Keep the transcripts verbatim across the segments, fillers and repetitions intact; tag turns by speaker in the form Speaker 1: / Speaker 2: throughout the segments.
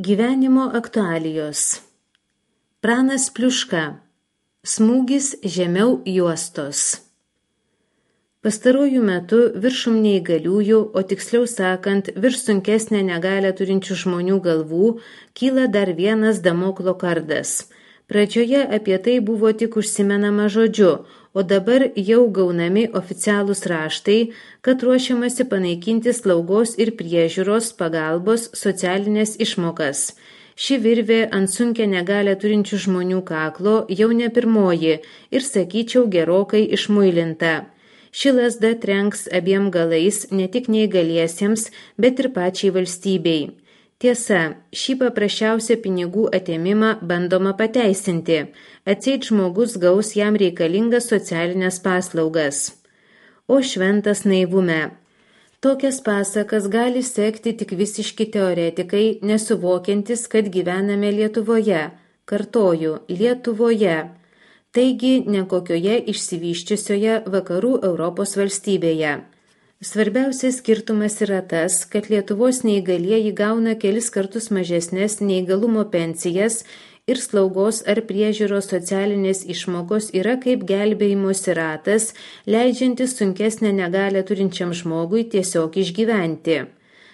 Speaker 1: Gyvenimo aktualijos. Pranas Pliuška. Smūgis žemiau juostos. Pastaruoju metu viršum neįgaliųjų, o tiksliau sakant, virš sunkesnę negalią turinčių žmonių galvų, kyla dar vienas Damoklo kardas. Pradžioje apie tai buvo tik užsimenama žodžiu, o dabar jau gaunami oficialūs raštai, kad ruošiamasi panaikinti slaugos ir priežiūros pagalbos socialinės išmokas. Ši virvė ant sunkią negalią turinčių žmonių kaklo jau ne pirmoji ir, sakyčiau, gerokai išmuilinta. Ši lazda trenks abiem galais ne tik neįgaliesiems, bet ir pačiai valstybei. Tiesa, šį paprasčiausią pinigų atėmimą bandoma pateisinti, atseit žmogus gaus jam reikalingas socialinės paslaugas. O šventas naivume. Tokias pasakas gali sekti tik visiški teoretikai, nesuvokiantis, kad gyvename Lietuvoje. Kartoju, Lietuvoje. Taigi ne kokioje išsivysčiusioje vakarų Europos valstybėje. Svarbiausias skirtumas yra tas, kad Lietuvos neįgalieji gauna kelis kartus mažesnės neįgalumo pensijas ir slaugos ar priežiūros socialinės išmokos yra kaip gelbėjimosi ratas, leidžiantis sunkesnę negalią turinčiam žmogui tiesiog išgyventi.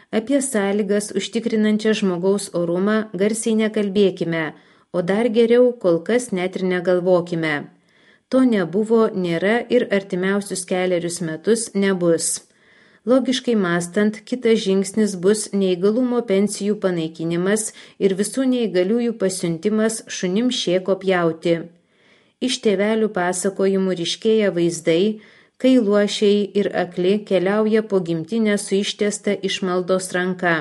Speaker 1: Apie sąlygas užtikrinančią žmogaus orumą garsiai nekalbėkime, o dar geriau kol kas net ir negalvokime. To nebuvo, nėra ir artimiausius kelerius metus nebus. Logiškai mąstant, kitas žingsnis bus neįgalumo pensijų panaikinimas ir visų neįgaliųjų pasiuntimas šunim šėko pjauti. Iš tėvelių pasakojimų ryškėja vaizdai, kai luošiai ir akli keliauja po gimtinę su ištiesta išmaldos ranka.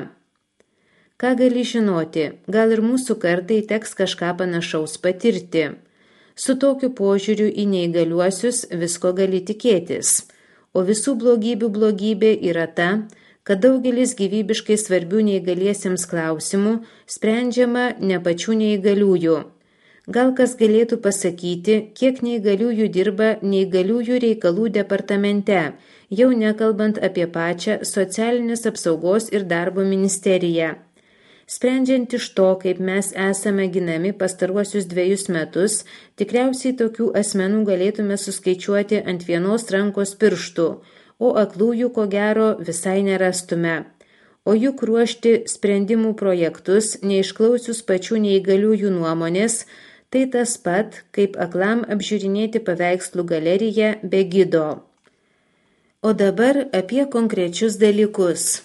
Speaker 1: Ką gali žinoti, gal ir mūsų kartai teks kažką panašaus patirti. Su tokiu požiūriu į neįgaliuosius visko gali tikėtis. O visų blogybių blogybė yra ta, kad daugelis gyvybiškai svarbių neįgaliesiems klausimų sprendžiama ne pačių neįgaliųjų. Gal kas galėtų pasakyti, kiek neįgaliųjų dirba neįgaliųjų reikalų departamente, jau nekalbant apie pačią socialinės apsaugos ir darbo ministeriją. Sprendžiant iš to, kaip mes esame ginami pastaruosius dviejus metus, tikriausiai tokių asmenų galėtume suskaičiuoti ant vienos rankos pirštų, o aklųjų ko gero visai nerastume. O juk ruošti sprendimų projektus, neišklausius pačių neįgaliųjų nuomonės, tai tas pat, kaip aklam apžiūrinėti paveikslų galeriją be gido. O dabar apie konkrečius dalykus.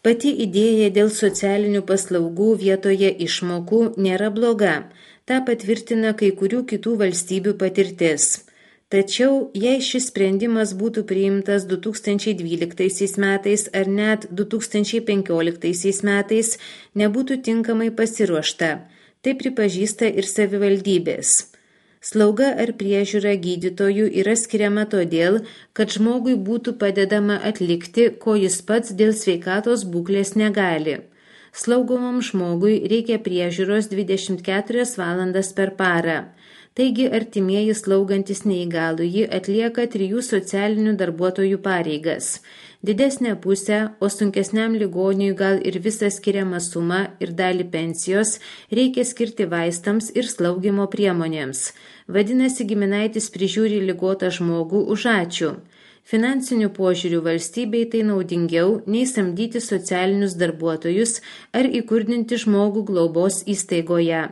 Speaker 1: Pati idėja dėl socialinių paslaugų vietoje išmokų nėra bloga, tą patvirtina kai kurių kitų valstybių patirtis. Tačiau, jei šis sprendimas būtų priimtas du tūkstančiai dvyliktaisiais metais ar net du tūkstančiai penkioliktaisiais metais, nebūtų tinkamai pasiruošta, tai pripažįsta ir savivaldybės. Slauga ar priežiūra gydytojų yra skiriama todėl, kad žmogui būtų padedama atlikti, ko jis pats dėl sveikatos būklės negali. Slaugomam žmogui reikia priežiūros dvidešimt keturias valandas per parą. Taigi artimieji slaugantis neįgalųjį atlieka trijų socialinių darbuotojų pareigas. Didesnę pusę, o sunkesniam ligoniui gal ir visą skiriamą sumą ir dalį pensijos reikia skirti vaistams ir slaugimo priemonėms. Vadinasi, giminaitis prižiūri ligotą žmogų už ačiū. Finansiniu požiūriu valstybei tai naudingiau nei samdyti socialinius darbuotojus ar įkurdinti žmogų globos įstaigoje.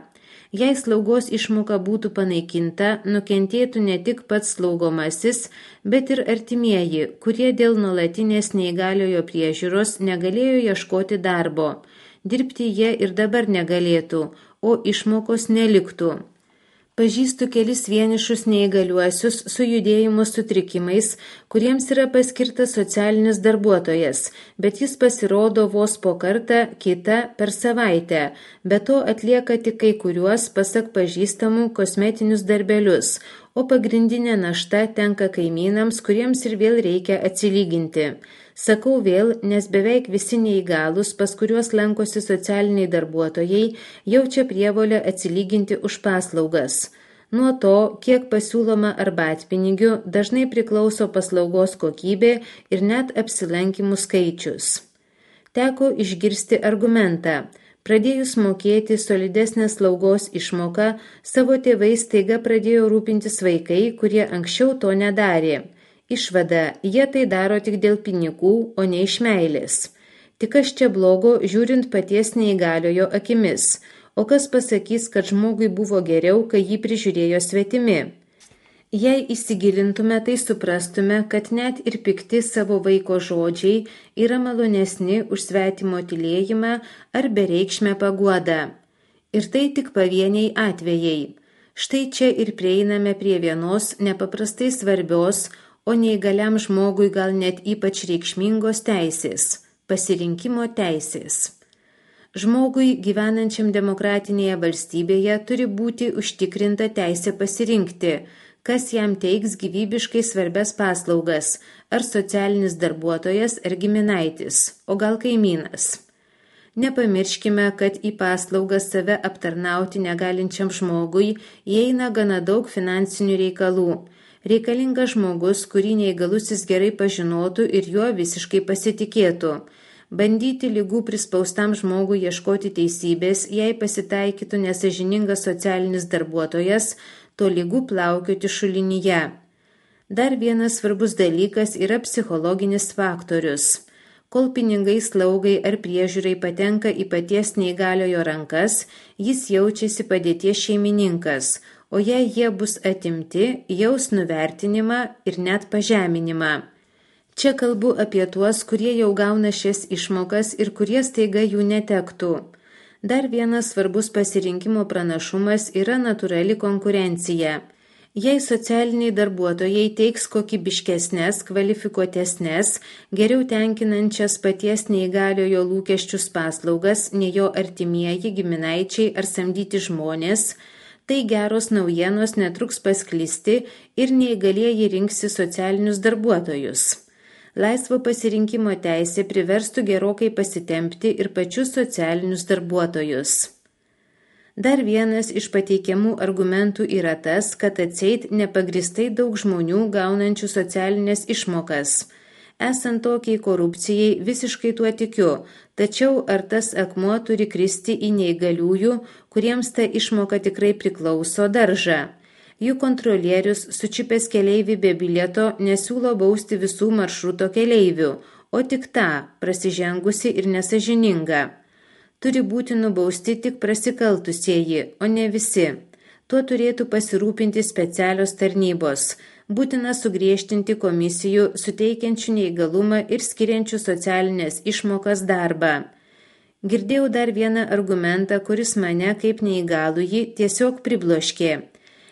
Speaker 1: Jei slaugos išmoka būtų panaikinta, nukentėtų ne tik pats slaugomasis, bet ir artimieji, kurie dėl nuolatinės neįgaliojo priežiūros negalėjo ieškoti darbo. Dirbti jie ir dabar negalėtų, o išmokos neliktų. Pažįstu kelis vienišus neįgaliuosius su judėjimo sutrikimais, kuriems yra paskirtas socialinis darbuotojas, bet jis pasirodo vos po kartą, kitą per savaitę, be to atlieka tik kai kuriuos, pasak pažįstamų, kosmetinius darbelius, o pagrindinė našta tenka kaimynams, kuriems ir vėl reikia atsilyginti. Sakau vėl, nes beveik visi neįgalūs, pas kuriuos lankosi socialiniai darbuotojai, jaučia prievolę atsilyginti už paslaugas. Nuo to, kiek pasiūloma arbatpinigių, dažnai priklauso paslaugos kokybė ir net apsilankymų skaičius. Teko išgirsti argumentą. Pradėjus mokėti solidesnę slaugos išmoką, savo tėvais staiga pradėjo rūpintis vaikai, kurie anksčiau to nedarė. Išvada, jie tai daro tik dėl pinigų, o ne iš meilės. Tik kas čia blogo, žiūrint paties neįgaliojo akimis, o kas pasakys, kad žmogui buvo geriau, kai jį prižiūrėjo svetimi. Jei įsigilintume, tai suprastume, kad net ir pikti savo vaiko žodžiai yra malonesni už svetimo tylėjimą ar bereikšmę paguodą. Ir tai tik pavieniai atvejai. Štai čia ir prieiname prie vienos nepaprastai svarbios, o neįgaliam žmogui gal net ypač reikšmingos teisės – pasirinkimo teisės. Žmogui gyvenančiam demokratinėje valstybėje turi būti užtikrinta teisė pasirinkti, kas jam teiks gyvybiškai svarbias paslaugas, ar socialinis darbuotojas, ar giminaitis, o gal kaimynas. Nepamirškime, kad į paslaugas save aptarnauti negalinčiam žmogui įeina gana daug finansinių reikalų. Reikalingas žmogus, kurį neįgalusis gerai pažinotų ir juo visiškai pasitikėtų. Bandyti ligų prispaustam žmogui ieškoti teisybės, jei pasitaikytų nesąžiningas socialinis darbuotojas, to ligų plaukioti šulinyje. Dar vienas svarbus dalykas yra psichologinis faktorius. Kol pinigai slaugai ar priežiūrai patenka į paties neįgaliojo rankas, jis jaučiasi padėties šeimininkas, o jei jie bus atimti, jaus nuvertinimą ir net pažeminimą. Čia kalbu apie tuos, kurie jau gauna šias išmokas ir kurie staiga jų netektų. Dar vienas svarbus pasirinkimo pranašumas yra natūrali konkurencija. Jei socialiniai darbuotojai teiks kokybiškesnės, kvalifikuotesnės, geriau tenkinančias paties neįgaliojo lūkesčius paslaugas, nei jo artimieji, giminaičiai ar samdyti žmonės, tai geros naujienos netruks pasklisti ir neįgalieji rinksi socialinius darbuotojus. Laisvo pasirinkimo teisė priverstų gerokai pasitempti ir pačius socialinius darbuotojus. Dar vienas iš pateikiamų argumentų yra tas, kad atseit nepagristai daug žmonių gaunančių socialinės išmokas. Esant tokiai korupcijai visiškai tuo tikiu, tačiau ar tas akmuo turi kristi į neįgaliųjų, kuriems ta išmoka tikrai priklauso, daržą? Jų kontrolierius, sučipęs keleivį be bilieto, nesiūlo bausti visų maršruto keleivių, o tik tą, prasižengusi ir nesažininga. Turi būti nubausti tik prasikaltusieji, o ne visi. Tuo turėtų pasirūpinti specialios tarnybos. Būtina sugriežtinti komisijų, suteikiančių neįgalumą ir skiriančių socialinės išmokas darbą. Girdėjau dar vieną argumentą, kuris mane kaip neįgalųjį tiesiog pribloškė.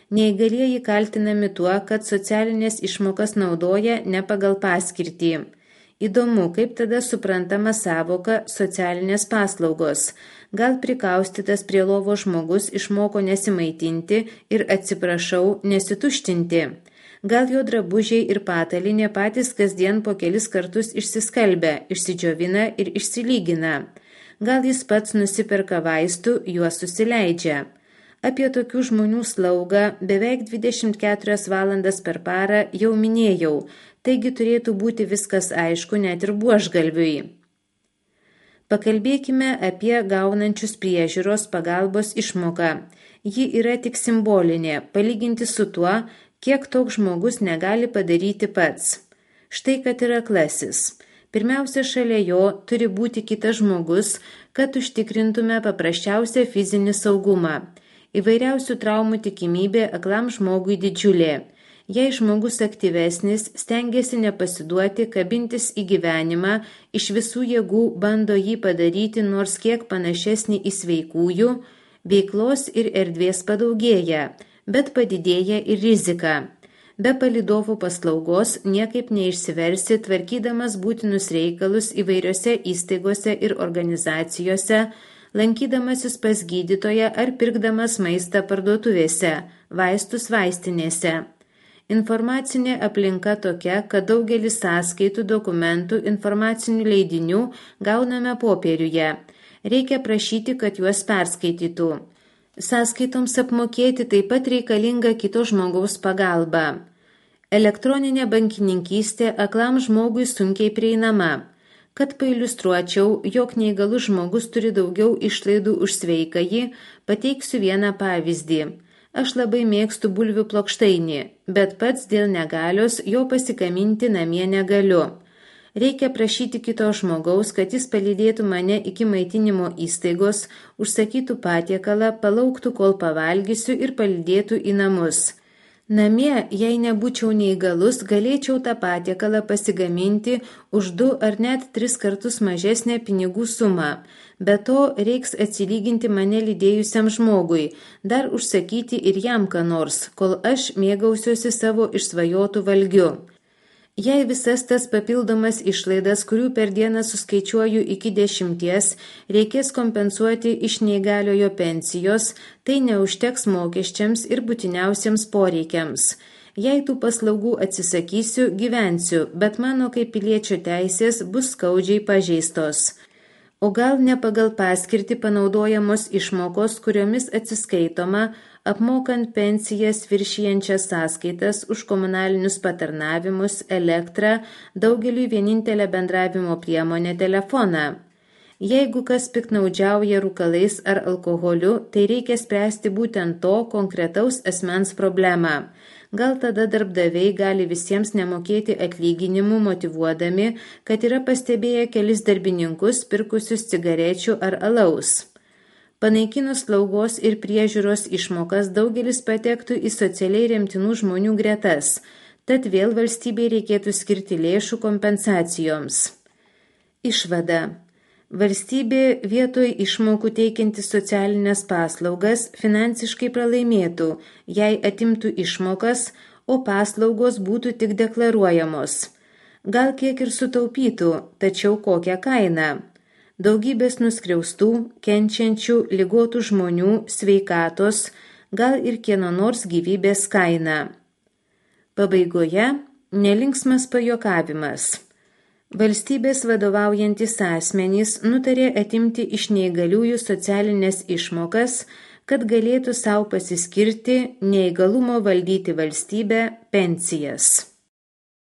Speaker 1: Neįgalieji kaltinami tuo, kad socialinės išmokas naudoja ne pagal paskirtį. Įdomu, kaip tada suprantama savoka socialinės paslaugos. Gal prikaustytas prie lovo žmogus išmoko nesimaitinti ir, atsiprašau, nesituštinti. Gal jo drabužiai ir patalinė patys kasdien po kelis kartus išsiskalbia, išsidžiovina ir išsilygina. Gal jis pats nusiperka vaistų, juos susileidžia. Apie tokių žmonių slaugą beveik dvidešimt keturias valandas per parą jau minėjau, taigi turėtų būti viskas aišku net ir buožgalviui. Pakalbėkime apie gaunančius priežiūros pagalbos išmoką. Ji yra tik simbolinė, palyginti su tuo, kiek toks žmogus negali padaryti pats. Štai kad yra aklasis. Pirmiausia, šalia jo turi būti kitas žmogus, kad užtikrintume paprasčiausią fizinį saugumą. Įvairiausių traumų tikimybė aklam žmogui didžiulė. Jei žmogus aktyvesnis, stengiasi nepasiduoti, kabintis į gyvenimą, iš visų jėgų bando jį padaryti nors kiek panašesnį į sveikųjų, veiklos ir erdvės padaugėja, bet padidėja ir rizika. Be palydovų paslaugos niekaip neišsiversi, tvarkydamas būtinus reikalus įvairiose įstaigose ir organizacijose, lankydamasis pas gydytoją ar pirkdamas maistą parduotuvėse, vaistus vaistinėse. Informacinė aplinka tokia, kad daugelis sąskaitų, dokumentų, informacinių leidinių gauname popieriuje. Reikia prašyti, kad juos perskaitytų. Sąskaitoms apmokėti taip pat reikalinga kito žmogaus pagalba. Elektroninė bankininkystė aklam žmogui sunkiai prieinama. Kad pailiustruočiau, jog neįgalus žmogus turi daugiau išlaidų už sveikąjį, pateiksiu vieną pavyzdį. Aš labai mėgstu bulvių plokštainį, bet pats dėl negalios jo pasikaminti namie negaliu. Reikia prašyti kito žmogaus, kad jis palydėtų mane iki maitinimo įstaigos, užsakytų patiekalą, palauktų, kol pavalgysiu ir palydėtų į namus. Namie, jei nebūčiau neįgalus, galėčiau tą patiekalą pasigaminti už du ar net tris kartus mažesnę pinigų sumą. Be to, reiks atsilyginti mane lydėjusiam žmogui, dar užsakyti ir jam ką nors, kol aš mėgausiuosi savo išsvajotų valgiu. Jei visas tas papildomas išlaidas, kurių per dieną suskaičiuoju iki dešimties, reikės kompensuoti iš neįgaliojo pensijos, tai neužteks mokesčiams ir būtiniausiems poreikiams. Jei tų paslaugų atsisakysiu, gyvensiu, bet mano kaip piliečio teisės bus skaudžiai pažeistos. O gal ne pagal paskirtį panaudojamos išmokos, kuriomis atsiskaitoma, apmokant pensijas viršijančias sąskaitas už komunalinius patarnavimus, elektrą, daugeliui vienintelę bendravimo priemonę telefoną. Jeigu kas piktnaudžiauja rūkalais ar alkoholiu, tai reikia spręsti būtent to konkretaus asmens problemą. Gal tada darbdaviai gali visiems nemokėti atlyginimų motyvuodami, kad yra pastebėję kelis darbininkus pirkusius cigarečių ar alaus. Panaikinus slaugos ir priežiūros išmokas daugelis patektų į socialiai remtinų žmonių gretas, tad vėl valstybei reikėtų skirti lėšų kompensacijoms. Išvada. Valstybė vietoj išmokų teikianti socialinės paslaugas finansiškai pralaimėtų, jei atimtų išmokas, o paslaugos būtų tik deklaruojamos. Gal kiek ir sutaupytų, tačiau kokią kainą? Daugybės nuskriaustų, kenčiančių, ligotų žmonių, sveikatos, gal ir kieno nors gyvybės kaina. Pabaigoje nelinksmas pajuokavimas. Valstybės vadovaujantis asmenys nutarė atimti iš neįgaliųjų socialinės išmokas, kad galėtų sau pasiskirti neįgalumo valdyti valstybę pensijas.